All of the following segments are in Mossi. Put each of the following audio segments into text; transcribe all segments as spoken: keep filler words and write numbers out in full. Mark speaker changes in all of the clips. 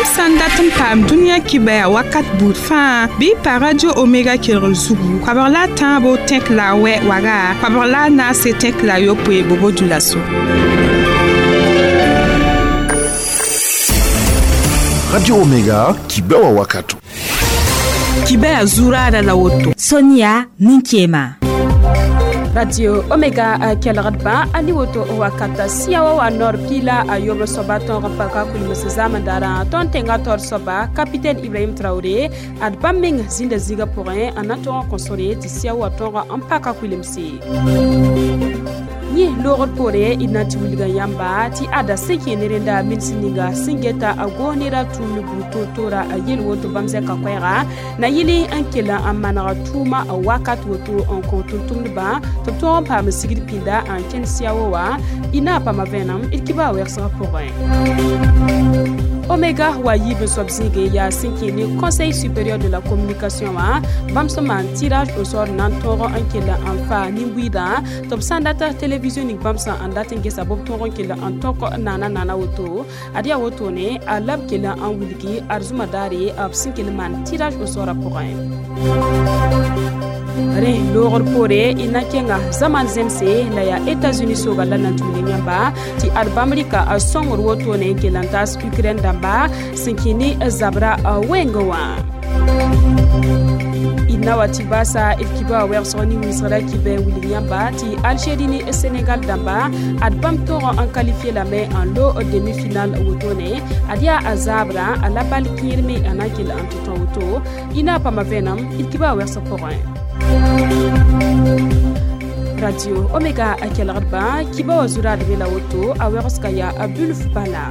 Speaker 1: Yãmb sã n dat n paam dũniyã kibɛa wakat buud fãa bɩ y pa Radio Omega kelgr zugu koabg la a tãabo tẽk la a wɛ waga koabg la a naase tẽk la a yopoe bobo dulaso.
Speaker 2: Radio Omega kibɛwa wakato.
Speaker 1: Kibɛa zuraada la woto.
Speaker 3: Sonia Ninkema.
Speaker 4: Radio Omega kelgdba ani woto wakata siawa wa nor pila a yob soba tõog n paka kulms zamandara tõnd tẽngã taoor soaba capitaine Ibrahim Traoré ad bãmb meng zĩnda zĩigã pʋgẽ n na tõog n kõ sore tɩ sia wa tõog n paka kulemse. Yẽ loogr poore d na n tɩ wilga yãmba tɩ ada sẽn kẽ ne rẽnda mins ninga sẽn geta a goos nera tʋʋm ne buud toor-toora a yel woto bãmb zɛka koɛɛga na yɩl n kell n manega tʋʋma a wakat woto n kõ tʋm-tʋmdbã tɩ b tõog n paam sigd pĩnda n kẽnd siao wã y na n paama vẽenem d kibaa wɛgsgã pʋgẽ. Omega wa yiib n soab zĩige yaa sẽn kẽ ne Conseil supérieur de la communication wã bãmb sẽn maan tirage au sort na n tõog n kell n faa nin-buiidã tɩ b sã n data télévision ning bãmb sã n dat n gesa bɩ b tõog n kell n tõk naana naana woto ad yaa wotone a la b kell n wilgi arzũma daare b sẽn kell n maan tirage au sort a pʋgẽ. Rẽ loogr poore y na kẽnga zaman zemse la yaa États-Unis sooga la na n tʋʋl yãmba tɩ ad bãmb rɩka a sõngr wotone n kell n taas Ukraine dãmba sẽn kẽ ne zabra wẽngẽ wã. D na wa tɩ baasa d kiba wɛgsg ne winsgra kibɛ wilg yãmba tɩ Algérie ne Sénégal dãmba ad bãmb tõog n qualifié lame n lo demi-finale wotone ad yaa a zaabra a la bal kẽer me a na n kell n tɩ tõ woto y na n paama vẽenem d kiba wɛgsg pʋgẽ. Radio Omega a kelgdbã kiba wa zuraad be la woto a wɛgsga yaa a bulf bala.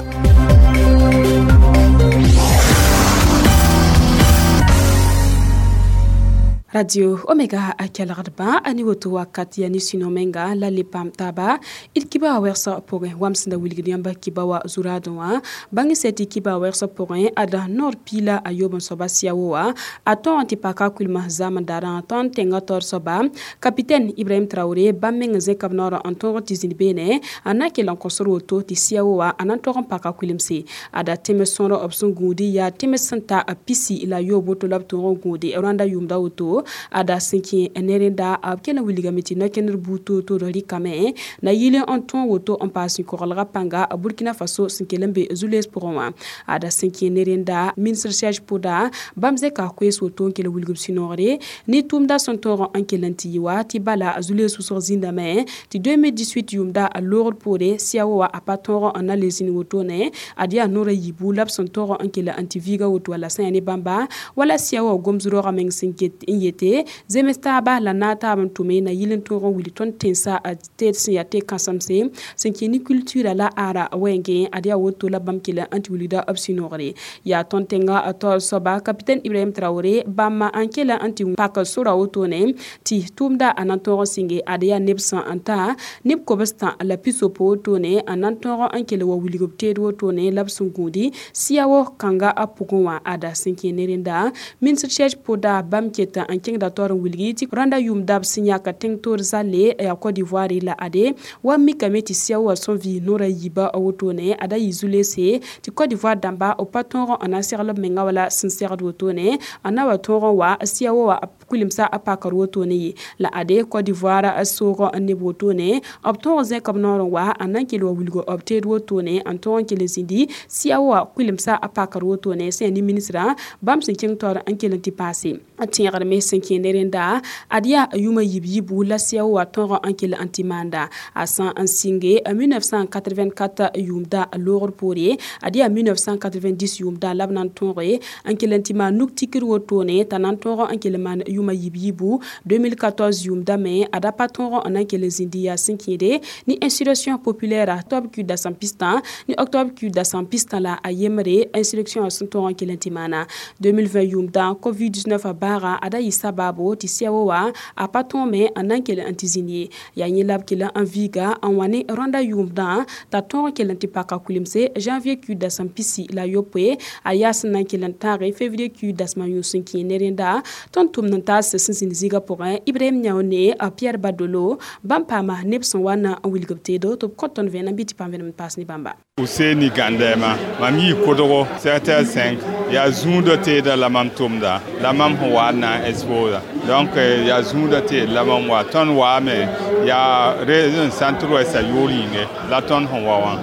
Speaker 4: Radio Omega a kelgdbã a ne woto wakat yaa ne sũ-no menga la le paam taaba d kiba wɛgsg pʋgẽ wam sẽn da wilgd yãmba kiba wa zuraadẽ wã bãng sɛ tɩ kiba wɛgsg pʋgẽ ada noor piila a yoob n soaba siao wã a tõog n tɩ paka kulmã zãmdaarã tõnd tẽngã taoor soaba capitaine Ibrahim Traoré bãmb meng zẽka b noorã n tõog tɩ zĩnd beene a na n kell n kõsd woto tɩ siao wã a na n tog n paka kulemse ada tẽms sõor b sẽn gũudi yaa tẽms sẽn ta pisi la yoob woto la b tõog n gũudi rãnda yʋʋmda woto ada sẽn kẽ ne rẽnda b kell n wilgame tɩ no-kẽndr buud toor-toor rɩkame na yɩl n tõog woto n paas sũ-koglgã pãnga Burkina Faso sẽn kell n be zu-lees pʋgẽ wã ada sẽn kẽ ne rẽnda ministre Serge Poda bãmb zẽka koees woto n kell n wilg b sũ-noogre ne tʋʋmda sẽn tõog n kell n tɩ yɩ wa tɩ bala zu-lees wʋsg zĩndame tɩ deux mille dix-huit yʋʋmda a loogr poore siao wã a pa tõog n na le zĩnd wotone ad yaa noorã yiibu la b sẽn tõog n kell n tɩ viiga woto wala sã yaa ne bãmba wala siao wã gom-zʋ-raoogã meng sẽn ket n yete zems taaba la naag taab n tʋme na yɩl n tõog n wilg tõnd tẽnsã tɩ sẽn yaa tɩ-kãsemse sẽn kẽ ne culture la ara wẽngẽ ad yaa woto la bãmb kell n tɩ wilgda b sũ-noogre yaa tõnd tẽngã taoor soaba capitaine Ibrahim Traoré bãmb n kell n tɩ pak sora wotone tɩ tʋʋmda a na n tõog n sɩnge ad yaa neb sã n ta neb kobs-tã la pisopo wotone n na n tõog n kell wa wilg b teed wotone la b sẽn gũudi siao kãnga a pʋgẽ wã ada sẽn kẽ ne rẽnda ministre Serge Poda bãmb ket n kẽngda taoor n wilgi tɩ rãnda yʋʋmda b sẽn yãk tẽng toor zalle yaa Côte d'Ivoire la ade wa mikame tɩ siao wã sẽn vɩ noorã yiibã wotone ada yɩ zu-leese tɩ Côte d'Ivoire dãmba b pa tõog n na n segl b menga wala sẽn segd wotone n na wa tõog n wa siao wã kulemsa a pakr wotone ye la ade Côte d'Ivoire soog neb wotone b tõog zẽk b noor n wa n na n kell wa wilg b teed wotone n tõog n kell zĩndi siao wã kulemsa a pakr wotone sẽn yaa ne ministrã bãmb sẽn kẽng taoor n kell n tɩ paase tẽegr me sẽn kẽ ne rẽnda ad yaa yʋʋmã yib-yibu la siao wã tõog n kell n tɩ maanda a sã n sɩnge mille neuf cent quatre-vingt-quatre yʋʋmda loogr poore ad yaa mille neuf cent quatre-vingt-dix yʋʋmda la b na n tõoge n kell n tɩ maan nuk tikr wotone t'a na n tõog n kell maan yʋʋmã yib-yibu deux mille quatorze yʋʋmda me ad a pa tõog n na n kell zĩndi yaa sẽn kẽede ne insurrection populaire octobre ku dasam pistã ne octobre ku dasam pistã la a yembre insurrection sẽn tõog n kell n tɩ maana deux mille vingt yʋʋmda covid dix-neuf a baaga ada yɩ sababo tɩ sɛo wã a pa tõome n na n kell n tɩ zĩnd ye yaa yẽ la b kell n viiga n wa ne rõnda yʋʋmdã t'a tõog n kell n tɩ paka kulemse janvier kiuud dasem pisi la yopoe a yaa sẽn na n kell n tãage février kiuud dasmã yũus n kẽ ne rẽnda tõnd tʋmd n taas sẽn zĩnd zĩigã pʋgẽ Ibrahim Yãone a Pierre Badolo bãmb paama neb sẽn wa na n wilg b teedo tɩ b kõ tõnd vẽenem bɩ tɩ paam vẽenem n paas ne bãmba.
Speaker 5: Useni Gandema mam yii kodgo sept heures cinq yaa zũudã teeda la mam tʋmda la mam sẽn wa n na n exposa donc yaa zũudã teed la mam wa tõnd waame yaa région centre ouest a yʋʋr yĩnge la tõnd sẽn wa wã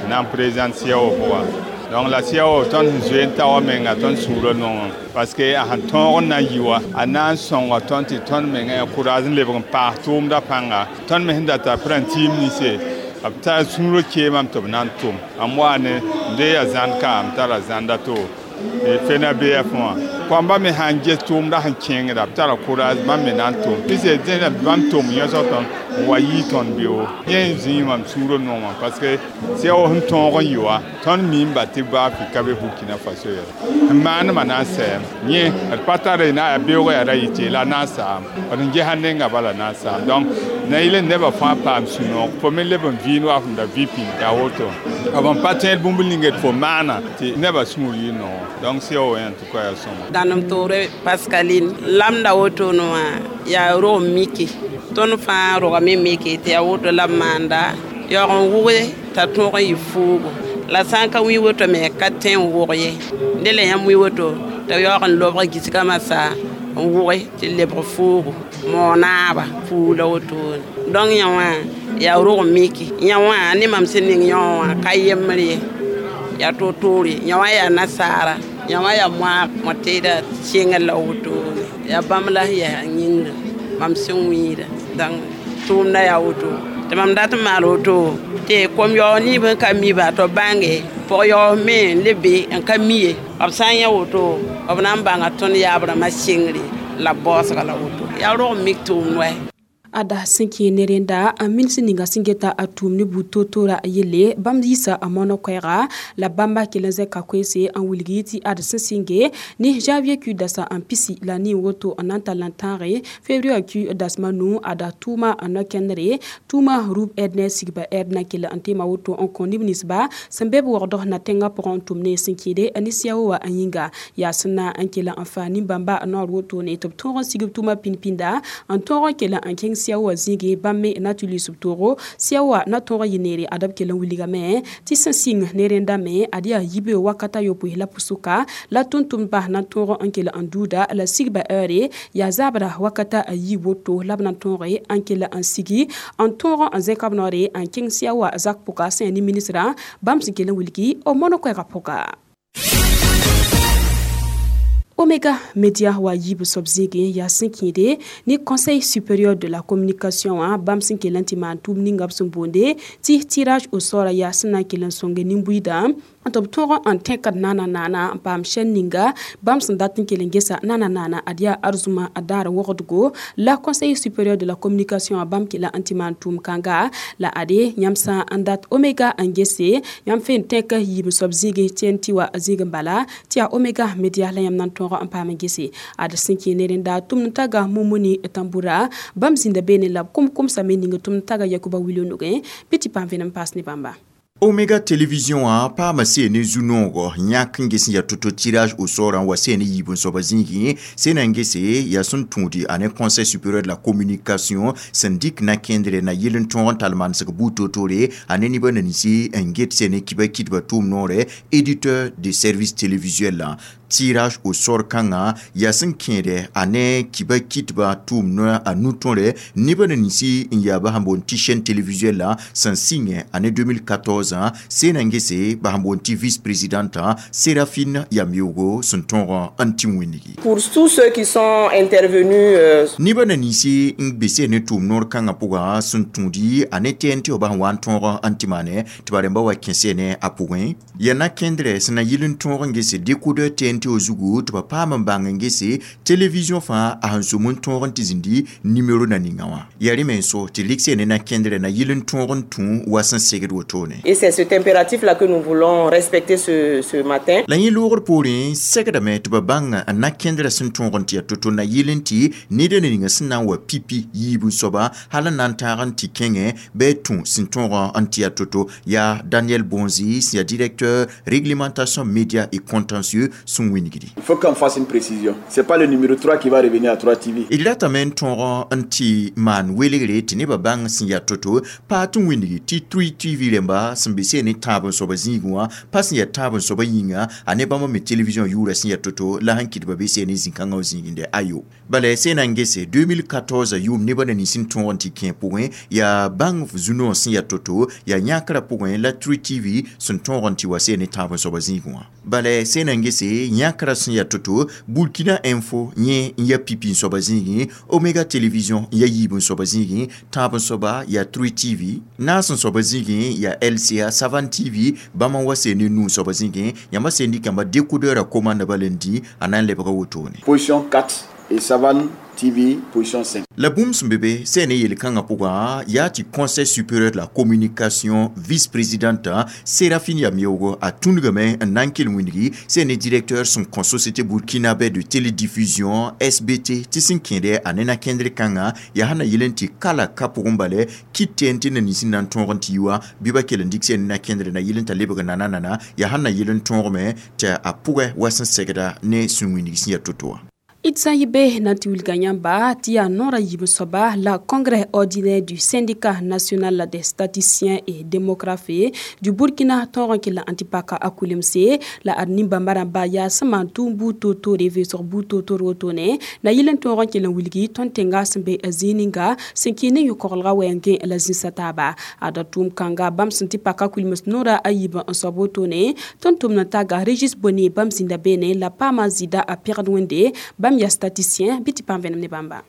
Speaker 5: na n présente C E A O pʋgã. Donc la C E A O tõnd sẽn zoe n ta wa menga tõnd sũurã nongẽ parce que a sẽn tõog n na n yi wa a na n sõnga tõnd tɩ tõnd menga courage n lebg n paas tʋʋmdã pãnga tõnd me sẽn data prãn-tiim ninse b tar sũurã keemame tɩ b na n tʋm m wa ne n de yaa zãnd ka m tara zãnda to fena B F wã kõamba me sãn ges tʋʋmdã sẽn kẽngda b tara courage bãmb me na n tʋm pɩse dẽna bãmb tʋm yõsg tõnd n wa yɩɩ tõnd beoog yẽ zĩig mam sũurã nongã parce que C E A O sẽn tõog n yɩ wa tõnd miimba tɩ baa ka be Burkina Faso yɛla n maanema na n sɛɛm yẽ d pa tara na yaa beoogã yaa ra yɩ tɩ la na n saam d n gesa nenga bala na n saam. Donc na yɩl n nebã fãa paam sũ-noog fo me leb n vɩɩnd wa fõm da vɩ pĩnd yaa woto b n pa tẽed bũmb ning d fo maana tɩ nebã sũur yɩ noog. Donc C E A O en tout cas yaa sõma.
Speaker 6: Dãnem toore Pascaline lamda wotone wã yaa rog mike tõnd fãa rogame mike tɩ yaa woto la b maanda yaoog n wʋge t'a tõog n yɩ fuugo la sã n ka wĩ woto me ka tẽ n wʋg ye dẽ la yãmb wĩ woto tɩ yaoog n lobg gisgã masa n wʋge tɩ lebg fuugo moonaaba fuug la wotone. Donc yã wã yaa rog miki yã wã ne mam sẽn ning yã wã ka yembr ye yaa toor-toore yã wã yaa nasaara yã wã yaa moaag mõ-teeda sɩngr la wotone yaa bãmb la sẽn yaa yĩngrã mam sẽn wĩida. Donc tʋʋmdã yaa woto tɩ mam dat n maal woto tɩ kom-yaoog nib n ka mi ba tɩ b bãnge pʋg-yaoog me n le be n ka mi ye b sã n yã woto b na n bãnga tõnd yaab rãmbã sɩngre la baoosga la woto yaa rog mik tʋʋmd wɛ.
Speaker 4: Ada sẽn kẽ ne rẽnda a mins ninga sẽn geta a tʋʋm ne buud to-toora yelle bãmb yiisa a moanã koɛɛga la bãmba kell n zẽka koeese n wilgi tɩ ad sẽn sɩnge ne janvier kiuud dasã n pisi la nin woto n na n tall n tãage février kiuud dasma nu ada tʋʋma n no-kẽndre tʋʋma rub ɛd ne sigba ɛd na kell n teema woto n kõ neb ninsba sẽn be b waoogd na tẽngã pʋgẽ n tʋm ne sẽn kẽede ne C E A O wã n yĩnga yaa sẽn na n kell n faa nin-bãmba noor woto ne tɩ b tõog n sigb tʋʋma pĩnd-pĩnda n tõog n kell n kẽng C E A O wã zĩige bãmb me na tɩ lʋɩs b toogo C E A O wã na tõog n yɩ neere ad b kell n wilgame tɩ sẽn sɩng ne rẽnda me ad yaa yibe wakata yopoe la pʋsʋka la tʋm-tʋmdbã na tõog n kell n duuda la sigba heure yaa zabra wakata a yi woto la b na tõoge n kell n sigi n tõog n zẽka b noore n kẽng C E A O wã zak pʋka sẽn yaa ne ministrã bãmb sẽn kell n wilgi b mono koɛɛgã pʋga. Omega Media wa yib soab zĩigẽ yaa sẽn kẽede ne Conseil supérieur de la communication wã bãmb sẽn kell n tɩ maan tʋʋm ninga b sẽn boonde tɩ tirage au sort yaa sẽn na n kell n sõnge nin-buiidã tɩ b tõog n tẽkd naana naana n paam chaîne ninga bãmb sẽn dat n kell n gesa naana naana ad yaa arzũma a daar wogdgo la Conseil supérieur de la communication wã bãmb kela n tɩ maan tʋʋm kãnga la ade yãmb sã n dat Omega n gese yãmb fe n tẽk yiib soab zĩigẽ T N T wa zĩig n bala tɩ yaa Omega Media la yãmb na n tõog n paam n gese ad sẽn kẽ ne rẽnda tʋmd n taga Mumuni Tambura bãmb zĩnda beene la b kom-komsame ning tʋmd n taga Yakuba Wilo nugẽ bɩ tɩ paam vẽenem paas ne bãmba.
Speaker 7: Omega Télévision a paama seene zu-noogo yãk n ges n yaa to-to tirage au sort n wa seene yiib n soaba zĩigẽ sẽna n gese yaa sẽn tũudi a ne Conseil supérieur de la communication sẽn dɩk na kẽndre na yel n tõog n tall manesg buud to-tore a ne nebã ninsi n get seene kiba kɩdba tʋʋm noore éditeur de service télévisuel la tirage au sort kãngã yaa sẽn kẽede a ne kiba kɩtba tʋʋm noa a nu-tõre nebã ninsi n yaa ba sẽn boond tɩ chaîne télévisuel la sẽn sɩngẽ ane deux mille quatorze sẽna n gese ba sẽn boond tɩ vice présidente Séraphine Yamiogo sẽn tõog n tɩ wĩnigi.
Speaker 8: Pour tous ceux qui sont intervenus euh...
Speaker 7: Nebã na ninsi n be seen ne tʋʋm noor kãngã pʋgã sẽn tũudi a ne T N T ba sẽn wa n tõog n tɩ maane tɩ ba rẽmba wa kẽ seene a pʋgẽ yaa na kẽndrɛ sẽn na yɩl n tõog n gese décodeur T N T. tɩ o zugu tɩ ba paam n bãng n gese télévision fãa a sẽn sʋm n tõog n tɩ zĩndi nimero na ninga wã yaa rẽ me n so tɩ rɩk ne na kẽndrã na yɩl n tõog n tũ wa sẽn segd wotone.
Speaker 8: Et c'est cet impératif là que nous voulons respecter ce, ce matin.
Speaker 7: La yẽ loogr poorẽ segdame tɩ ba bãng n na kẽndrã sẽn tõog n tɩ yaa to-to na yɩl n tɩ ned na ninga sẽn na n wa pipi yiib n soaba hal n na n tãag n tɩ kẽngẽ bɩ tũ sẽn tõog n tɩ yaa to-to yaa Daniel Bonzi sẽn yaa directeur réglementation média et contentieux sẽn wingdi.
Speaker 9: Il faut qu'on fasse une précision. C'est pas le numéro trois qui va revenir à trois T V.
Speaker 7: D ratame n tõog n tɩ maan welgre tɩ nebã bãng sẽn yaa to-to pa tɩ wingdi tɩ trois T V rẽmba sẽn be seen ne tãab n soaba zĩigẽ wã pa sẽn yaa tãab n soaba yĩnga a ne bãmb me télévision yʋʋra sẽn yaa to-to la sẽn kɩt ba be seen ne zĩ-kãngã wã zĩigẽ ayo bala sẽn na n gese deux mille quatorze yʋʋm nebã na nins n tõog n tɩ kẽ pʋgẽ yaa bãng zu-noog sẽn yaa to-to yaa yãkrã pʋgẽ la trois T V sẽn tõog n tɩ wa seen ne tãab n soaba zĩigẽ wã bala sẽn na n gese yãkrã sẽn yaa to-to Burkina Info yẽ n yaa pipi n soaba zĩigẽ Omega Télévision n yaa yiib n soaba zĩigẽ tãab n soaba yaa trois T V naas n soaba zĩigẽ yaa L C A Savane T V bãmb n wa seen ne nuu soaba zĩigẽ yãmba seen dɩkãmba décodeur a commande bala n dĩ a na n lebga wotone.
Speaker 9: Position quatre et Savane T V position cinq.
Speaker 7: La bũmb sẽn be be sẽn ne yel-kãngã pʋgã yaa tɩ Conseil supérieur de la communication vice-présidente Séraphine Yamiogo a tũnugame n na n kell wĩndgi sẽn ne directeur sẽn kõ société burkinabé de télédiffusion S B T tɩ sẽn kẽede a ne na-kẽndr kãngã yaa sẽn na yɩl n tɩ kala ka pʋgẽ bale kɩt tɩ tɩ na nins n na n tõog n tɩ yi wã bɩ ba kell n dɩk sẽn ne na-kẽndr na yɩl n t'a lebg nana-nana yaa sẽn na yɩl n tõogame tɩ a pʋgẽ wa sẽn segda ne sẽn wĩndg sẽn yaa to-to wã.
Speaker 4: D sã n yɩ be na n tɩ wilga yãmba tɩ yaa noorã yiib n soaba la congrès ordinaire du syndicat national des statisticiens et démographes du Burkina tõog n kell n tɩ paka a kulemse la ad nin-bãmba rãmba yaa sẽn maan tʋʋm buud toor-toore vɩʋsg buud toor-toor wotone na yɩl n tõog n kell n wilgi tõnd tẽnga sẽn be zĩig ninga sẽn kɩ ne yõ-koglga wɛɛngẽ la zĩsã taaba ada tʋʋm kãnga bãmb sẽn tɩ paka kulems noorã a yiib n soab wotone tõnd tʋmd n taga Régis Boni bãmb zĩnda beene la paama zɩɩda a pɛgd wẽnde bãmb ya statisticien bɩ tɩ paam vẽenem ne bãmba.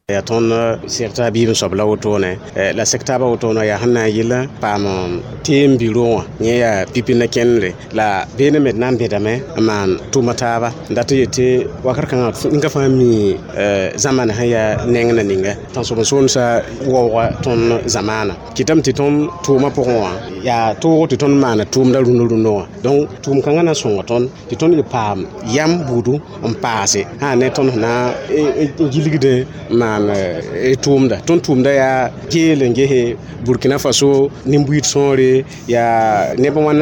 Speaker 10: Yaa tõnd sɩgta biib n soab la wotone la sɩk taabã wotone yaa sẽn na n yɩl paam teem biro wã yẽ yaa pipi na kẽndre la beene me d na n bẽdame n maan tʋʋma taaba n dat n yetɩ wakr kãngã ninga fãa mi zãmana sẽn yaa neng na ninga tãnsoben-soolmsã waooga tõnd zamaana kɩtame tɩ tõnd tʋʋmã pʋgẽ wã yaa toogo tɩ tõnd maana tʋʋmda rũndã rũndã wã donc tʋʋm kãngã na n sõnga tõnd tɩ tõnd yɩ paam yam buudu n paase sã ne tõnd sẽn na n gilgdẽ n maan tʋʋmda tõnd tʋʋmda yaa geel n gese Burkina Faso nin-buiid sõore yaa neb wãn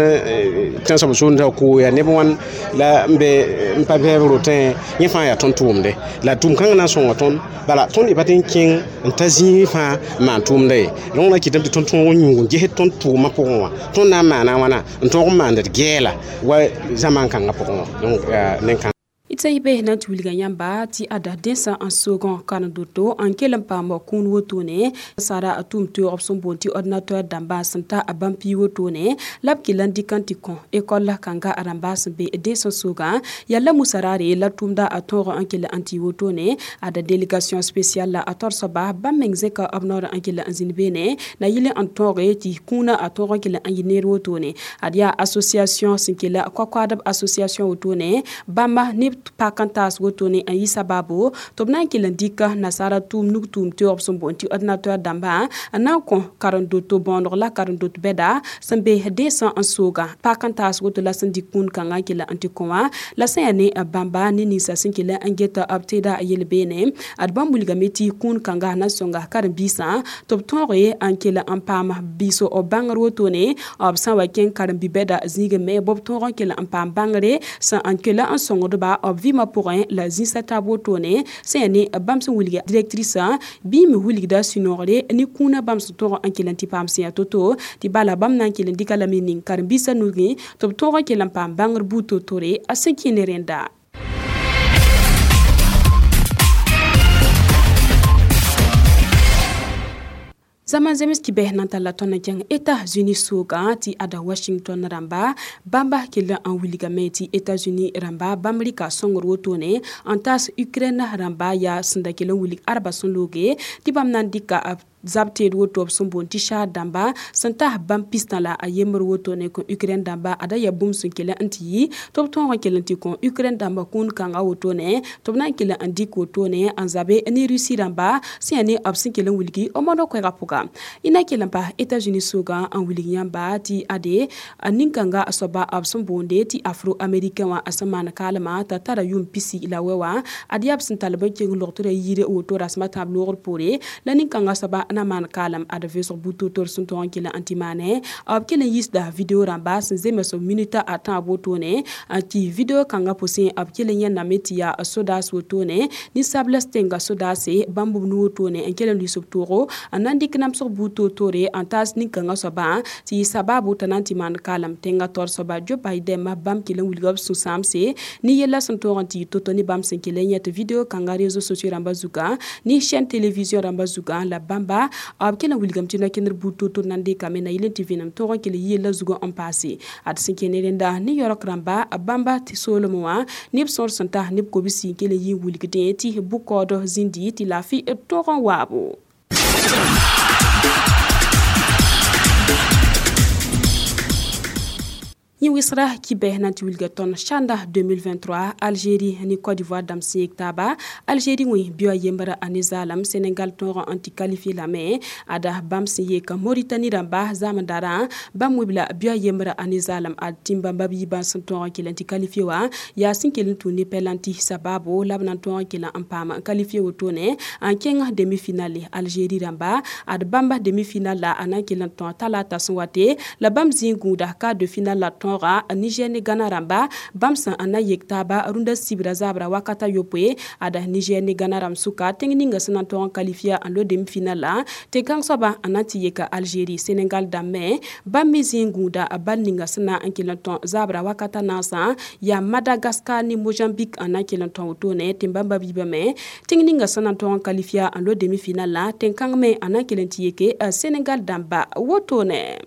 Speaker 10: tãnsoab soolmsã koo yaa neb wãn la n be n pa bɛɛb rotẽ yẽ fãa yaa tõnd tʋʋmde la tʋʋm kãngã na n sõnga tõnd bala tõnd y pa tɩ n kẽng n ta zĩig fãa n maan tʋʋmda ye donc na kɩtame tɩ tõnd tõog n yũug n gesd tõnd tʋʋmã pʋgẽ wã tõnd na n maana wãna n tõog n maand d gɛɛla wa zamaan kãngã pʋgẽ wã donc nen-kãng.
Speaker 4: D sã n yɩ be na n tɩ wilga yãmba tɩ ada dẽnsã n soogã karen-doto n kell n paam kũun wotone sara a tʋʋm toeegb sẽn boond tɩ ordinateur dãmbã sẽn ta a bãmb pii wotone la b kell n dɩk n tɩ kõ école kãnga a rãmba sẽn be dẽnsã soogã yaa la musarare la tʋʋmda a tõog n kell n tɩ wotone ada délégation spéciale la a tor soaba bãmb meng zẽka b noor n kell n zĩnd beene na yɩl n tõoge tɩ kũunã a tõog n kell n yɩ neer wotone ad yaa association sẽn kell koakoadb association wotone bãmba ne pak n taas wotone n yɩ sabaabo tɩ b na n kell n dɩka nasaara tʋʋm nug tʋʋm teoogb sẽn boond tɩ ordinateur dãmbã n na n kõ karen-doto bõoneg la karen-dot bɛda sẽn be dẽnsã n sooga pak n taas woto la sẽn dɩk kũun kãngã n kell n tɩ kõ wã la sẽn yaa ne bãmba ne ninsa sẽn kell n geta b teeda yel-beene ad bãmb wilgame tɩ kũun kãnga na n sõnga karen-biisã tɩ b tõoge n kell n paam biis b bãngr wotone b sã n wa kẽng karen-bi-bɛda zĩigẽ me b tõog n kell n paam bãngre sẽn n kell n sõngdba b vɩɩmã pʋgẽ la zĩsã taab wotone sẽn yaa ne bãmb sẽn wilga directrice bɩ me wilgda sũ-noogre ne kũunã bãmb sẽn tõog n kell n tɩ paam sẽn yaa to-to tɩ bala bãmb na n kell n dɩka lame ning karen-biisã nugẽ tɩ b tõog n kell n paam bãngr buud to-tore a sẽn kẽ ne rẽnda. Zaman zemes ki beh nan tala tõnd n kẽng États-Unis soogã tɩ ada Washington rãmba bãmba kell n wilgame tɩ États-Unis rãmba bãmb rɩka sõngr wotone n taas Ukraine rãmba yaa sẽn da kell n wilg arba sẽn looge tɩ bãmb na n dɩka Zab teed woto b sẽn boond tɩ Chad dãmba sẽn tas bãmb pistã la a yembr wotone kõ Ukraine dãmba ada yaa bũmb sẽn kell n tɩ yɩ tɩ b tõog n kell n tɩ kõ Ukraine dãmba kũun kãngã wotone tɩ b na n kell n dɩk wotone n zabe ne Russie dãmba sẽn yaa ne b sẽn kell n wilgi b mono koɛɛgã pʋga. Y na kell n pas États-Unis sʋgã n wilg yãmba tɩ ade nin-kãnga soaba b sẽn boonde tɩ afro-américain wã sẽn maan kaalmã t'a tara yʋʋm pisi la wɛ wã ad yaa b sẽn tall b n keng logtrã yir woto rasmã tãab loogr poore la nin-kãngã soaba na maan kaalem ad vʋʋsg butotor sẽn tõog n kell n tɩ maane b kell n yiisda video rãmba sẽn zems minita a tãab wotone tɩ video kãngã pʋsẽ b kell n yẽndame tɩ yaa sodaas wotone ninsabls tẽnga sodaase bãmb b nu wotone n kell n lʋɩs b toogo n na n dɩk namsg buud toor-toore n taas nin-kãngã soabã tɩ yɩ sabaabo t'a na n tɩ maan kaalem tẽngã taoor soaba Joe Biden bãmb kell n wilga b sũ-sãamse ne yella sẽn tõog n tɩ yɩ to-to ne bãmb sẽn kell n yẽ tɩ video kãngã réseaux sociaux rãmbã zugã ne chaîne télévision rãmbã zugã la bãmba b kell n wilgame tɩ no-kẽnder buud toor-toor na n dekame na yɩl n tɩ vẽenem tõog n kell yella zugã n paase ad sẽn kẽ ne rẽnda ne yaoork rãmba bãmba tɩ soolem wã neb sõor sẽn tas neb kobsi n kell n yɩ n wilgdẽ tɩ bʋ-kaood zĩndi tɩ laafɩ tõog n waabo. Yẽ wɩsgra kibɛ na n tɩ wilga tõnd sãnda deux mille vingt-trois Algérie ne Côte d'Ivoire dãmb sẽn yek taaba. Algérie wẽ bɩa yembra a ne zaalem Sénégal tõog n tɩ qualifié lame ada bãmb sẽn yek Mauritanie rãmba zaamdarã bãmb wibla bɩa yembra a ne zaalem ad tĩm bãmba b yiibã sẽn tõog n kell n tɩ qualifié wã yaa sẽn kell n tũ ne pɛlãnti sabaabo la b na n tõog n kell n paam n qualifié wotone n kẽng demi-finale Algérie rãmba ad bãmba demi-finale la a na n kell n tõog talata sẽn wate la bãmb zĩig gũuda quart de finale la tõog Niger ne Ghana rãmba bãmb sẽn n na yek taaba rũndã sibra zaabra wakata yopoe ada Niger ne Ghana rãmb sʋka tẽng ninga sẽn na n tõog n qualifier n lo demi-finale la tɩ kãng soaba n na n tɩ yeka Algérie. Sénégal dãmbẽ bãmb me zĩig gũuda bal ninga sẽn na n kell n tõe zaabra wakata naasã yaa Madagascar ne Mozambique n na n kell n tõe wotone tɩ bãmba biibame tẽng ninga sẽn na n tõog n qualifier n lo demi-finale la tẽn-kãng me n na n kell n tɩ yeke Sénégal dãmba wotone.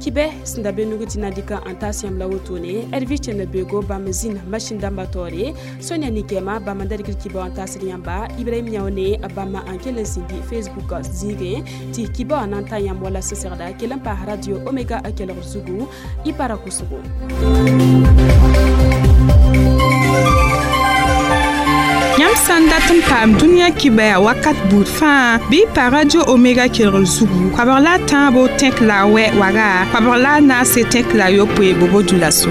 Speaker 4: Kibɛ sẽn da be nug tɩ na dɩka n taas yãmb la wotone Hervé Tchene bego bãmb zĩnd machine dãmbã taoore Sonia Nikema bãmb n da rɩkd kibã n taasd yãmba Ibrahim Yãone bãmb n kell n zĩndi Facebook zĩigẽ tɩ kibã wã na n ta yãmb wala sẽn segda kell n paas radio Omega kelgr zugu y para kʋsgo.
Speaker 1: Yãmb sã n dat n paam dũniyã kibɛa wakat buud fãa bɩ y pa radio Omega kelgr zugu koabg la a tãabo tẽk la a wɛ waga koabg la a naase tẽk la a yopoe bobo dulaso.